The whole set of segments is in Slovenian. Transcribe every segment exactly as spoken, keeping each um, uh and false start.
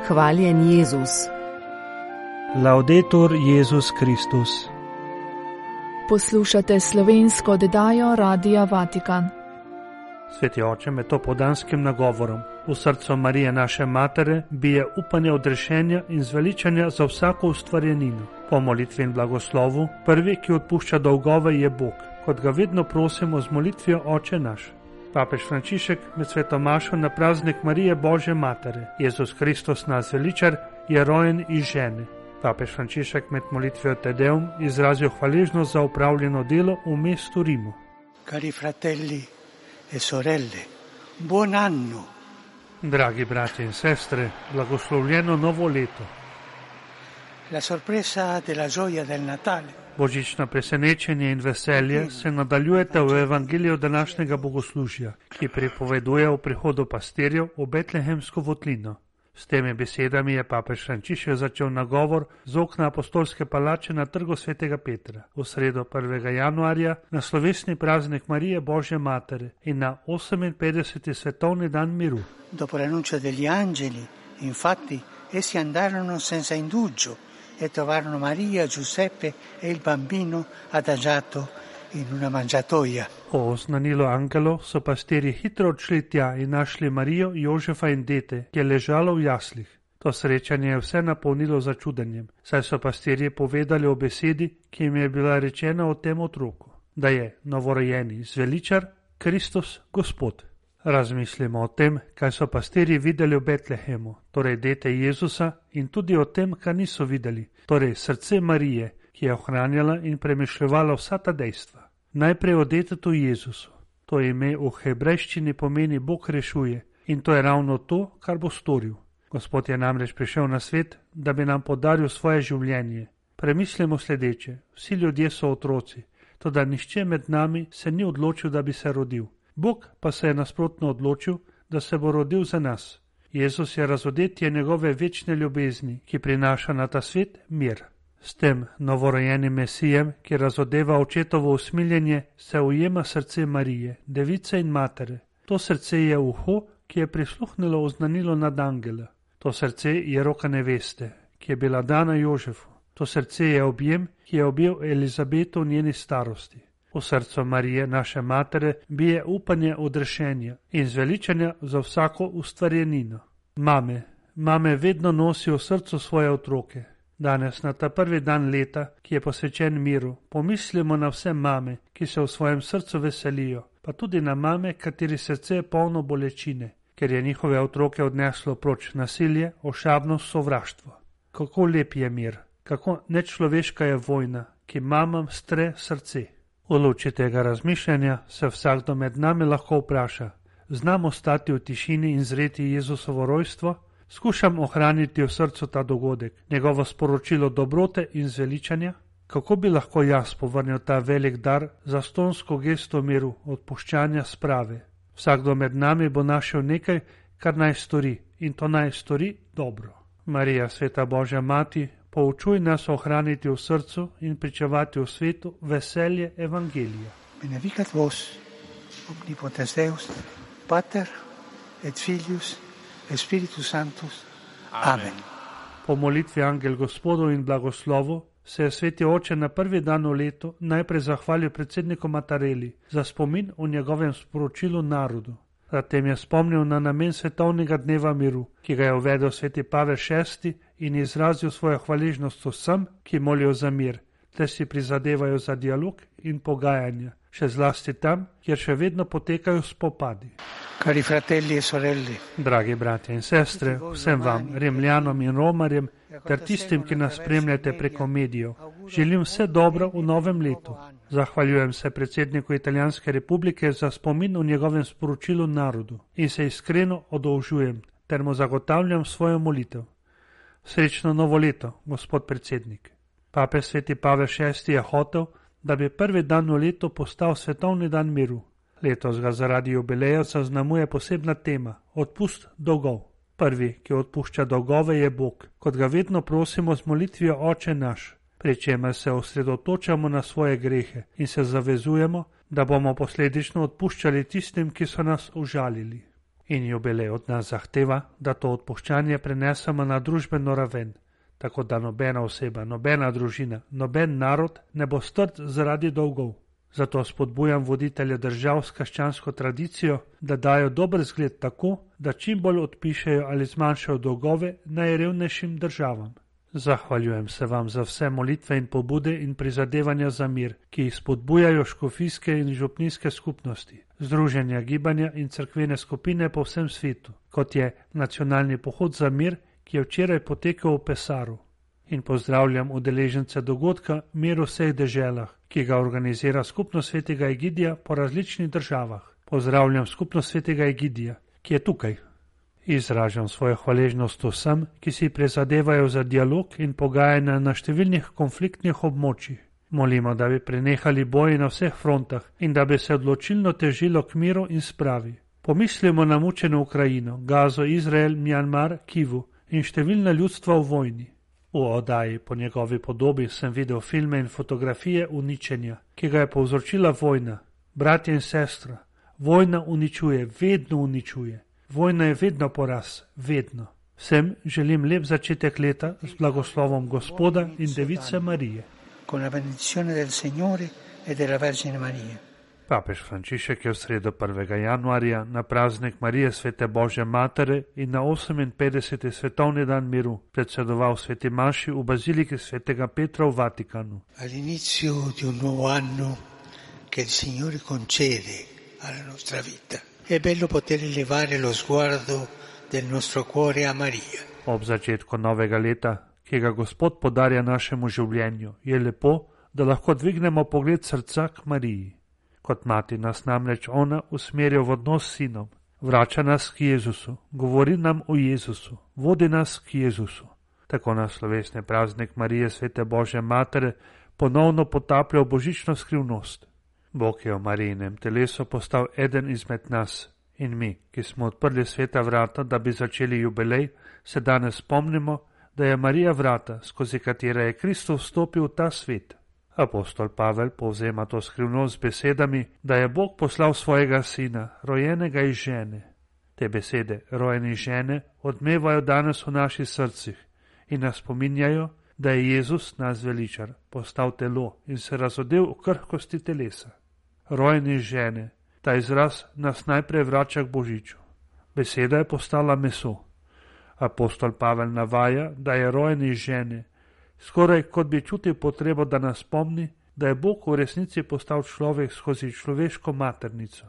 Hvaljen Jezus. Laudetur Jezus Kristus. Poslušate slovensko oddajo Radia Vatikan. Sveti oče, med topodanskim nagovorom v srcu Marije naše matere bije upanje odrešenja in zveličanja za vsako ustvarjenino. Po molitvi in blagoslovu, prvi, ki odpušča dolgove, je Bog, kot ga vedno prosimo z molitvijo Oče naš. Papež Frančišek med sveto mašo na praznik Marije Božje matere, Jezus Kristus naš zveličar, je rojen iz žene. Papež Frančišek med molitvijo Te Deum izrazil hvaležnost za upravljeno delo v mestu Rimu. Cari fratelli e sorelle, buon anno. Dragi bratje in sestre, blagoslovljeno novo leto. La sorpresa della gioia del Natale. Božično presenečenje in veselje se nadaljujete v evangeliju današnjega bogoslužja, ki pripoveduje o prihodu pastirjev v betlehemsko votlino. S temi besedami je papež Frančišek začel nagovor z okna apostolske palače na trgu svetega Petra v sredo prvega januarja na slovesni praznik Marije Božje matere in na oseminpetdeseti svetovni dan miru. Dopo l'annuncio degli angeli, infatti, essi andarono senza indugio e trovarono Maria, Giuseppe e il bambino adagiato in una mangiatoia. Po oznanilu angelov so pastirji hitro odšli tja in našli Marijo, Jožefa in dete, ki je ležalo v jaslih. To srečanje je vse napolnilo začudenjem, saj so pastirji povedali o besedi, ki jim je bila rečena o tem otroku, da je novorojeni zveličar Kristus Gospod. Razmislimo o tem, kaj so pastirji videli v Betlehemu, torej dete Jezusa, in tudi o tem, kaj niso videli, torej srce Marije, ki je ohranjala in premišljevala vsa ta dejstva. Najprej o detetu Jezusu. To ime v hebrejščini pomeni Bog rešuje in to je ravno to, kar bo storil. Gospod je namreč prišel na svet, da bi nam podaril svoje življenje. Premislimo sledeče, vsi ljudje so otroci, toda nihče med nami se ni odločil, da bi se rodil. Bog pa se je nasprotno odločil, da se bo rodil za nas. Jezus je razodetje njegove večne ljubezni, ki prinaša na ta svet mir. S tem novorojenim Mesijem, ki razodeva očetovo usmiljenje, se ujema srce Marije, device in matere. To srce je uho, ki je prisluhnilo oznanilo nad angela. To srce je roka neveste, ki je bila dana Jožefu. To srce je objem, ki je objel Elizabeto v njeni starosti. V srcu Marije, naše matere, bije upanje odrešenja in zveličanja za vsako ustvarjenino. Mame, mame vedno nosijo v srcu svoje otroke. Danes, na ta prvi dan leta, ki je posvečen miru, pomislimo na vse mame, ki se v svojem srcu veselijo, pa tudi na mame, kateri srce je polno bolečine, ker je njihove otroke odneslo proč nasilje, ošabnost, sovraštvo. Kako lep je mir, kako nečloveška je vojna, ki mamam stre srce. V luči tega razmišljanja se vsakdo med nami lahko vpraša, znam ostati v tišini in zreti Jezusovo rojstvo? Skušam ohraniti v srcu ta dogodek, njegovo sporočilo dobrote in zveličanja? Kako bi lahko jaz povrnil ta velik dar za stonsko gesto miru, odpuščanja sprave? Vsakdo med nami bo našel nekaj, kar naj stori, in to naj stori dobro. Marija, sveta Božja mati, poučuj nas ohraniti v srcu in pričevati v svetu veselje evangelija. Benedicat vos, omnipotens Deus, Pater et Filius et Spiritus Sanctus. Amen. Po molitvi Angel Gospodov in blagoslovu se je sveti oče na prvi dan v letu najprej zahvalil predsedniku Mattarelli za spomin o njegovem sporočilu narodu. Zatem je spomnil na namen svetovnega dneva miru, ki ga je uvedel sveti Pavel šesti in izrazil svojo hvaležnost vsem, ki molijo za mir, ter si prizadevajo za dialog in pogajanja, še zlasti tam, kjer še vedno potekajo spopadi. Cari fratelli e sorelle, dragi bratje in sestre, vsem vam, Rimljanom in Romarjem, ter tistim, ki nas spremljate preko medijev, želim vse dobro v novem letu. Zahvaljujem se predsedniku Italijanske republike za spomin v njegovem sporočilu narodu in se iskreno odolžujem, ter mu zagotavljam svojo molitev. Srečno novo leto, gospod predsednik. Papež sveti Pavel šesti je hotel, da bi prvi dan v letu postal svetovni dan miru. Letos ga zaradi jubileja zaznamuje posebna tema – odpust dolgov. Prvi, ki odpušča dolgove, je Bog, kot ga vedno prosimo z molitvijo Oče naš, pri čemer se osredotočamo na svoje grehe in se zavezujemo, da bomo posledično odpuščali tistim, ki so nas užalili. In jubilej od nas zahteva, da to odpuščanje prenesemo na družbeno raven, tako da nobena oseba, nobena družina, noben narod ne bo strt zaradi dolgov. Zato spodbujam voditelje držav s krščansko tradicijo, da dajo dober zgled tako, da čim bolj odpišejo ali zmanjšajo dolgove najrevnejšim državam. Zahvaljujem se vam za vse molitve in pobude in prizadevanja za mir, ki jih spodbujajo škofijske in župnijske skupnosti, združenja, gibanja in cerkvene skupine po vsem svetu, kot je nacionalni pohod za mir, ki je včeraj potekal v Pesaru. In pozdravljam udeležence dogodka Mir v vseh deželah, ki ga organizira Skupnost svetega Egidija po različnih državah. Pozdravljam Skupnost svetega Egidija, ki je tukaj. Izražam svojo hvaležnost vsem, ki si prizadevajo za dialog in pogajanja na številnih konfliktnih območjih. Molimo, da bi prenehali boji na vseh frontah in da bi se odločilno težilo k miru in spravi. Pomislimo na mučeno Ukrajino, Gazo, Izrael, Mjanmar, Kivu in številna ljudstva v vojni. V oddaji po njegovi podobi sem videl filme in fotografije uničenja, ki ga je povzročila vojna. Bratje in sestra, vojna uničuje, vedno uničuje. Vojna je vedno poraz, vedno. Vsem želim lep začetek leta z blagoslovom Gospoda in Device Marije. Con la benedizione del Signore e della Vergine Maria. Papež Frančišek je v sredo prvega januarja na praznik Marije Svete Božje Matere in na oseminpetdeseti svetovni dan miru predsedoval sveti maši v baziliki svetega Petra v Vatikanu. All'inizio di un nuovo anno che il Signore concede alla nostra vita. È bello poter elevare lo sguardo del nostro cuore a Maria. Ob začetku novega leta, ki ga Gospod podarja našemu življenju, je lepo, da lahko dvignemo pogled srca k Mariji. Kot mati nas namreč ona usmerja v odnos s sinom, vrača nas k Jezusu, govori nam o Jezusu, vodi nas k Jezusu. Tako nas slovesni praznik Marije Svete Božje Matere ponovno potaplja v božično skrivnost. Bog je v Marijinem telesu postal eden izmed nas in mi, ki smo odprli sveta vrata, da bi začeli jubilej, se danes spomnimo, da je Marija vrata, skozi katera je Kristus vstopil v ta svet. Apostol Pavel povzema to skrivnost z besedami, da je Bog poslal svojega sina, rojenega iz žene. Te besede, rojeni iz žene, odmevajo danes v naših srcih in nas spominjajo, da je Jezus, nas veličar, postal telo in se razodel v krhkosti telesa. Rojeni iz žene, ta izraz nas najprej vrača k Božiču. Beseda je postala meso. Apostol Pavel navaja, da je rojen iz žene, skoraj kot bi čutil potrebo, da nas spomni, da je Bog v resnici postal človek skozi človeško maternico.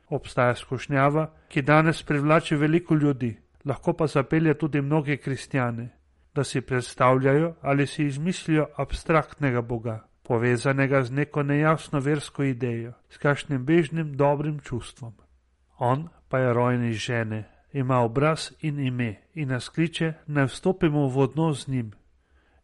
Obstaja skušnjava, ki danes privlači veliko ljudi, lahko pa zapelje tudi mnoge kristjane, da si predstavljajo ali si izmislijo abstraktnega Boga, povezanega z neko nejasno versko idejo, s kakšnim bežnim dobrim čustvom. On pa je rojen iz žene, ima obraz in ime in nas kliče, naj vstopimo v odnos z njim.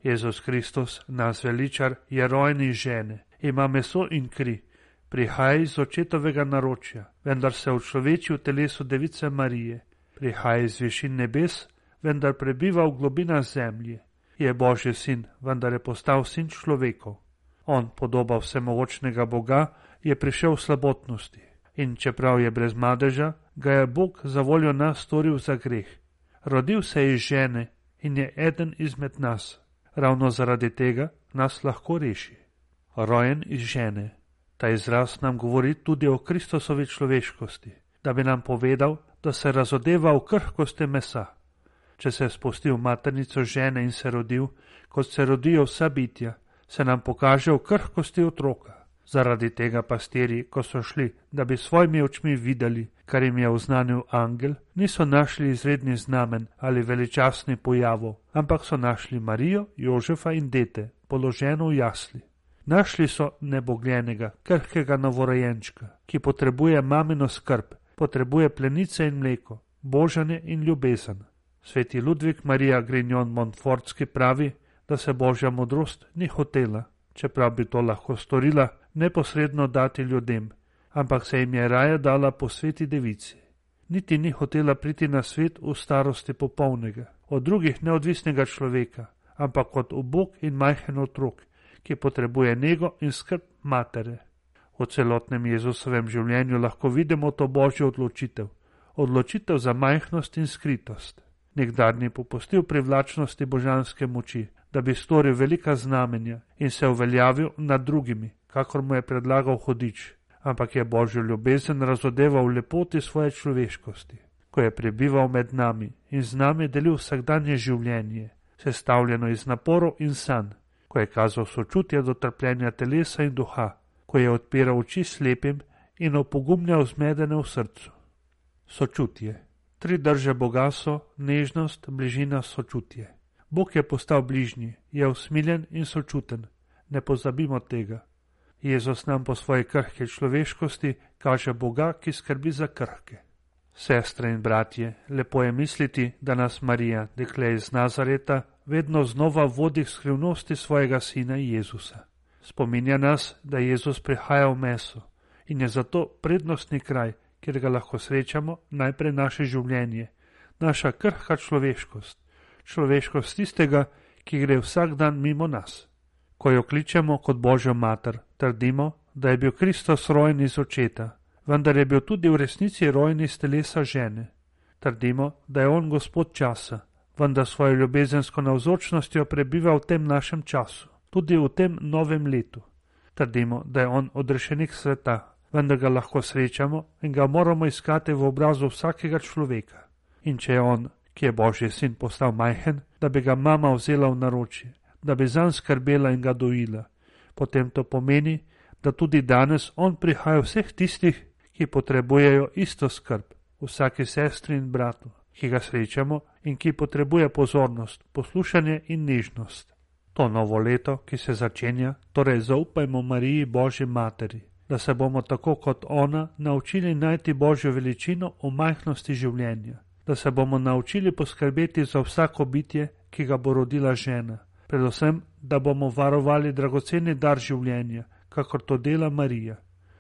Jezus Kristus, nas veličar, je rojen iz žene, ima meso in kri, prihaja iz očetovega naročja, vendar se učloveči v telesu Device Marije, prihaja iz višin nebes, vendar prebiva v globinah zemlje, je Božji sin, vendar je postal sin človekov. On, podoba vsemogočnega Boga, je prišel v slabotnosti in čeprav je brez madeža, ga je Bog za voljo nas storil za greh. Rodil se je iz žene in je eden izmed nas. Ravno zaradi tega nas lahko reši. Rojen iz žene. Ta izraz nam govori tudi o Kristusovi človeškosti, da bi nam povedal, da se razodeva v krhkosti mesa. Če se je spustil v maternico žene in se rodil, kot se rodijo vsa bitja, se nam pokaže v krhkosti otroka. Zaradi tega pastiri, ko so šli, da bi svojimi očmi videli, kar jim je oznanil angel, niso našli izredni znamen ali veličastni pojavov, ampak so našli Marijo, Jožefa in dete, položeno v jasli. Našli so nebogljenega, krhkega novorojenčka, ki potrebuje mamino skrb, potrebuje plenice in mleko, božanje in ljubezen. Sveti Ludvik Marija Grignon Montfortski pravi, da se Božja modrost ni hotela, čeprav bi to lahko storila, neposredno dati ljudem, ampak se jim je raje dala po sveti devici. Niti ni hotela priti na svet v starosti popolnega, od drugih neodvisnega človeka, ampak kot ubog in majhen otrok, ki potrebuje nego in skrb matere. V celotnem Jezusovem življenju lahko vidimo to Božjo odločitev. odločitev za majhnost in skritost. Nikdar ni popustil privlačnosti božanske moči, da bi storil velika znamenja in se uveljavil nad drugimi, kakor mu je predlagal Hudič, ampak je Božjo ljubezen razodeval v lepoti svoje človeškosti, ko je prebival med nami in z nami delil vsakdanje življenje, sestavljeno iz naporov in sanj, ko je kazal sočutje do trpljenja telesa in duha, ko je odpiral oči slepim in opogumljal zmedene v srcu. Sočutje. Tri drže Boga so nežnost, bližina, sočutje. Bog je postal bližnji, je usmiljen in sočuten. Ne pozabimo tega. Jezus nam po svoji krhke človeškosti kaže Boga, ki skrbi za krhke. Sestre in bratje, lepo je misliti, da nas Marija, dekle iz Nazareta, vedno znova vodi k skrivnosti svojega sina Jezusa. Spominja nas, da Jezus prihaja v meso in je zato prednostni kraj, kjer ga lahko srečamo, najprej naše življenje, naša krhka človeškost, človeškost tistega, ki gre vsak dan mimo nas. Ko jo kličemo kot Božjo mater, trdimo, da je bil Kristus rojen iz očeta, vendar je bil tudi v resnici rojen iz telesa žene. Trdimo, da je on Gospod časa, vendar svojo ljubezensko navzočnostjo prebiva v tem našem času, tudi v tem novem letu. Trdimo, da je on odrešenik sveta, vendar ga lahko srečamo in ga moramo iskati v obrazu vsakega človeka. In če je on, ki je Božji sin, postal majhen, da bi ga mama vzela v naročje, da bi zanj skrbela in ga dojila, potem to pomeni, da tudi danes on prihaja vseh tistih, ki potrebujejo isto skrb, vsaki sestri in bratu, ki ga srečamo in ki potrebuje pozornost, poslušanje in nežnost. To novo leto, ki se začenja, torej zaupajmo Mariji Božji materi, da se bomo tako kot ona naučili najti Božjo veličino v majhnosti življenja, da se bomo naučili poskrbeti za vsako bitje, ki ga bo rodila žena, predvsem, da bomo varovali dragoceni dar življenja, kakor to dela Marija.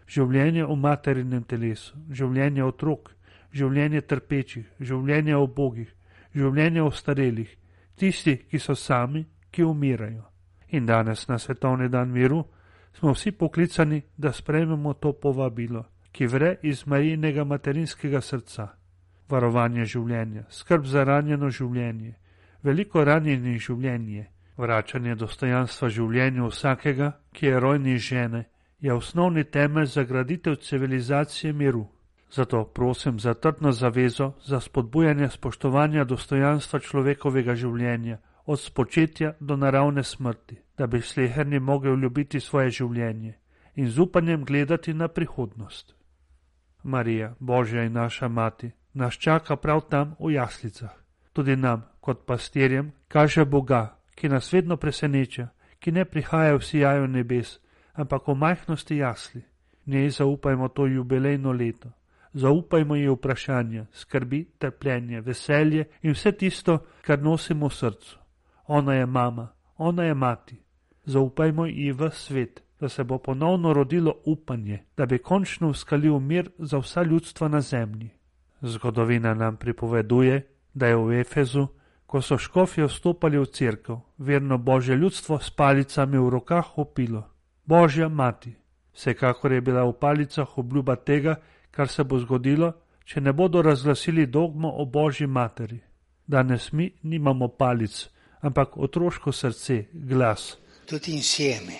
Življenje v materinem telesu, življenje otrok, življenje trpečih, življenje ubogih, življenje ostarelih, tisti, ki so sami, ki umirajo. In danes na svetovni dan miru smo vsi poklicani, da sprejmemo to povabilo, ki vre iz Marijinega materinskega srca. Varovanje življenja, skrb za ranjeno življenje, veliko ranjenih življenje, vračanje dostojanstva življenju vsakega, ki je rojni žene, je osnovni temelj za graditev civilizacije miru. Zato prosim za trdno zavezo za spodbujanje spoštovanja dostojanstva človekovega življenja, od spočetja do naravne smrti, da bi sleherni mogel ljubiti svoje življenje in z upanjem gledati na prihodnost. Marija, Božja in naša mati, nas čaka prav tam v jaslicah. Tudi nam, kot pastirjem, kaže Boga, ki nas vedno preseneča, ki ne prihaja v sijaju nebes, ampak v majhnosti jasli. Njej zaupajmo to jubilejno leto. Zaupajmo ji vprašanja, skrbi, trpljenje, veselje in vse tisto, kar nosimo v srcu. Ona je mama, ona je mati. Zaupajmo ji v svet, da se bo ponovno rodilo upanje, da bi končno uskalil mir za vsa ljudstva na zemlji. Zgodovina nam pripoveduje, da je v Efezu, ko so škofje vstopali v cerkev, verno Božje ljudstvo s palicami v rokah vpilo: Božja mati. Vsekakor je bila v palicah obljuba tega, kar se bo zgodilo, če ne bodo razglasili dogmo o Božji materi. Danes mi nimamo palic, ampak otroško srce, glas. Tutti insieme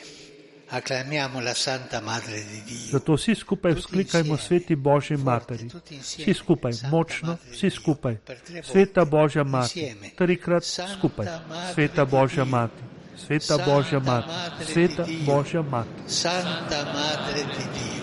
acclamiamo la Santa Madre di Dio. Zato vsi skupaj vzklikajmo sveti Božji materi. Vsi skupaj, močno, vsi skupaj. Sveta Božja mati, trikrat skupaj. Sveta Božja mati, sveta Božja mati, sveta Božja mati. Santa Madre di Dio.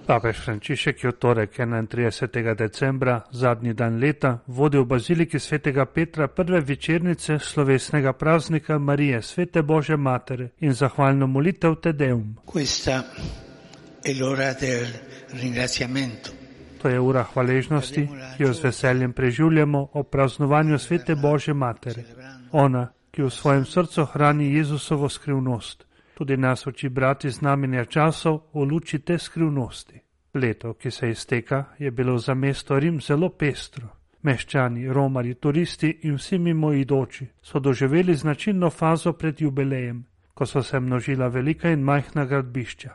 Papež Frančišek je v torek enaintridesetega decembra, zadnji dan leta, vodil v baziliki svetega Petra prve večernice slovesnega praznika Marije, svete Božje matere in zahvalno molitev Te Deum. Questa è l'ora del ringraziamento. To je ura hvaležnosti, ki jo z veseljem preživljamo ob praznovanju svete Božje matere. Ona, ki v svojem srcu hrani Jezusovo skrivnost, tudi nas uči brati znamenja časov v luči te skrivnosti. Leto, ki se izteka, je bilo za mesto Rim zelo pestro. Meščani, romarji, turisti in vsi mimoidoči so doživeli značilno fazo pred jubilejem, ko so se množila velika in majhna gradbišča.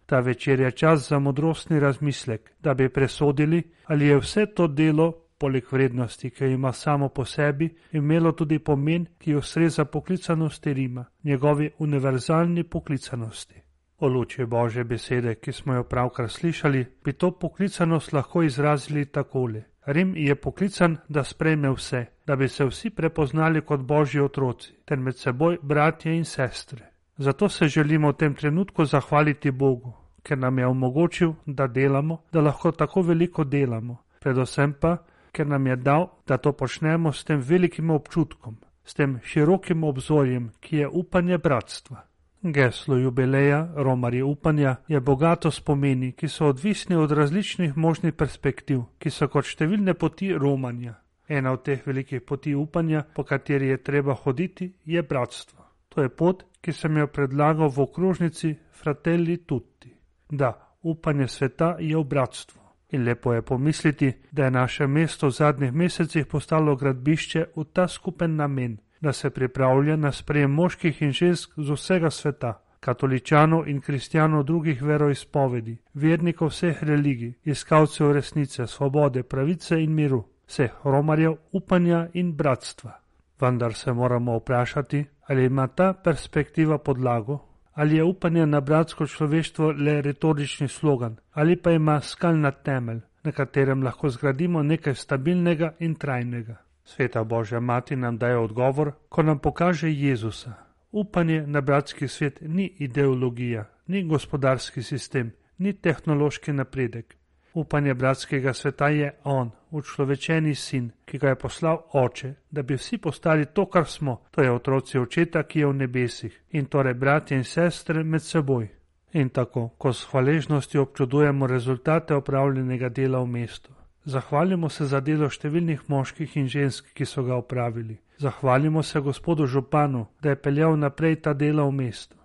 Ta večer je čas za modrostni razmislek, da bi presodili, ali je vse to delo, poleg vrednosti, ki jo ima samo po sebi, imelo tudi pomen, ki ustreza poklicanosti Rima, njegovi univerzalni poklicanosti. O luči Božje besede, ki smo jo pravkar slišali, bi to poklicanost lahko izrazili takole. Rim je poklican, da sprejme vse, da bi se vsi prepoznali kot Božji otroci, ter med seboj bratje in sestre. Zato se želimo v tem trenutku zahvaliti Bogu, ker nam je omogočil, da delamo, da lahko tako veliko delamo, predvsem pa, ker nam je dal, da to počnemo s tem velikim občutkom, s tem širokim obzorjem, ki je upanje bratstva. Geslo jubileja, romarji upanja, je bogato spomeni, ki so odvisni od različnih možnih perspektiv, ki so kot številne poti romanja. Ena od teh velikih poti upanja, po kateri je treba hoditi, je bratstvo. To je pot, ki sem jo predlagal v okrožnici Fratelli Tutti. Da, upanje sveta je v bratstvu. In lepo je pomisliti, da je naše mesto v zadnjih mesecih postalo gradbišče v ta skupen namen, da se pripravlja na sprejem moških in žensk z vsega sveta, katoličanov in kristjanov drugih veroizpovedi, vernikov vseh religij, iskalcev resnice, svobode, pravice in miru, vseh romarjev, upanja in bratstva. Vendar se moramo vprašati, ali ima ta perspektiva podlago, ali je upanje na bratsko človeštvo le retorični slogan, ali pa ima skalna temelj, na katerem lahko zgradimo nekaj stabilnega in trajnega. Sveta Božja Mati nam daje odgovor, ko nam pokaže Jezusa. Upanje na bratski svet ni ideologija, ni gospodarski sistem, ni tehnološki napredek. Upanje bratskega sveta je On, učlovečeni sin, ki ga je poslal Oče, da bi vsi postali to, kar smo, to je otroci Očeta, ki je v nebesih, in torej bratje in sestre med seboj. In tako, ko s hvaležnostjo občudujemo rezultate opravljenega dela v mestu. Zahvalimo se za delo številnih moških in žensk, ki so ga opravili. Zahvalimo se gospodu županu, da je peljal naprej ta dela v mestu.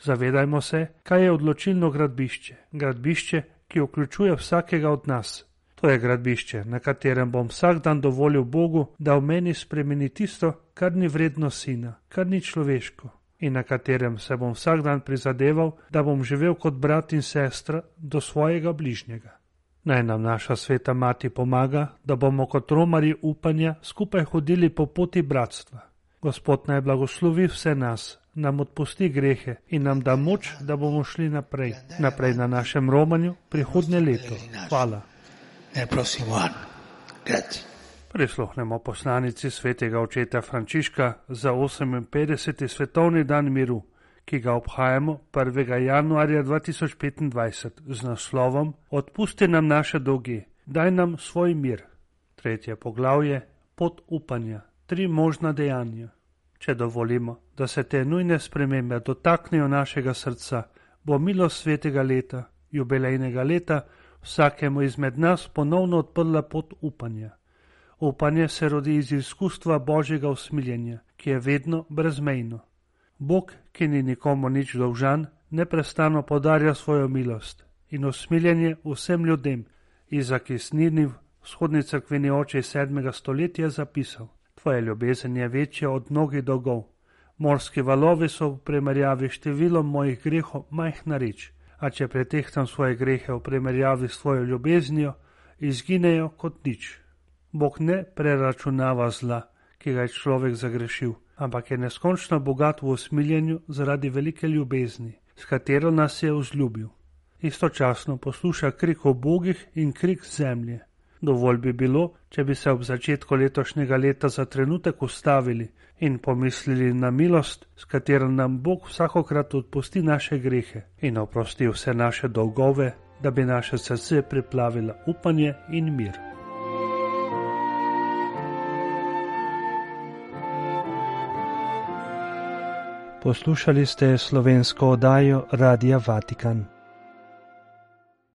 Zavedajmo se, kaj je odločilno gradbišče. Gradbišče, ki vključuje vsakega od nas. To je gradbišče, na katerem bom vsak dan dovolil Bogu, da v meni spremeni tisto, kar ni vredno sina, kar ni človeško, in na katerem se bom vsak dan prizadeval, da bom živel kot brat in sestra do svojega bližnjega. Naj nam naša sveta Mati pomaga, da bomo kot romarji upanja skupaj hodili po poti bratstva. Gospod naj blagoslovi vse nas, nam odpusti grehe in nam da moč, da bomo šli naprej, naprej na našem romanju prihodnje leto. Hvala. Prisluhnemo poslanici svetega očeta Frančiška za oseminpetdeseti svetovni dan miru, ki ga obhajamo prvega januarja dva tisoč petindvajset z naslovom Odpusti nam naše dolge, daj nam svoj mir. Tretje poglavje, pot upanja, tri možna dejanja. Če dovolimo, da se te nujne spremembe dotaknejo našega srca, bo milost svetega leta, jubilejnega leta, vsakemu izmed nas ponovno odprla pot upanja. Upanje se rodi iz izkustva Božjega usmiljenja, ki je vedno brezmejno. Bog, ki ni nikomu nič dolžan, neprestano podarja svojo milost in usmiljenje vsem ljudem. Izak iz Niniv, vzhodni cerkveni oče iz sedmega stoletja, zapisal: Tvoja ljubezen je večja od mnogih dolgov. Morski valovi so v primerjavi s številom mojih grehov majhna reč, a če pretehtam svoje grehe v primerjavi s tvojo ljubeznijo, izginejo kot nič. Bog ne preračunava zla, ki ga je človek zagrešil, ampak je neskončno bogat v usmiljenju zaradi velike ljubezni, s katero nas je vzljubil. Istočasno posluša krik ubogih in krik zemlje. Dovolj bi bilo, če bi se ob začetku letošnjega leta za trenutek ustavili in pomislili na milost, s katero nam Bog vsakokrat odpusti naše grehe in oprosti vse naše dolgove, da bi naše srce priplavila upanje in mir. Poslušali ste slovensko oddajo Radia Vatikan.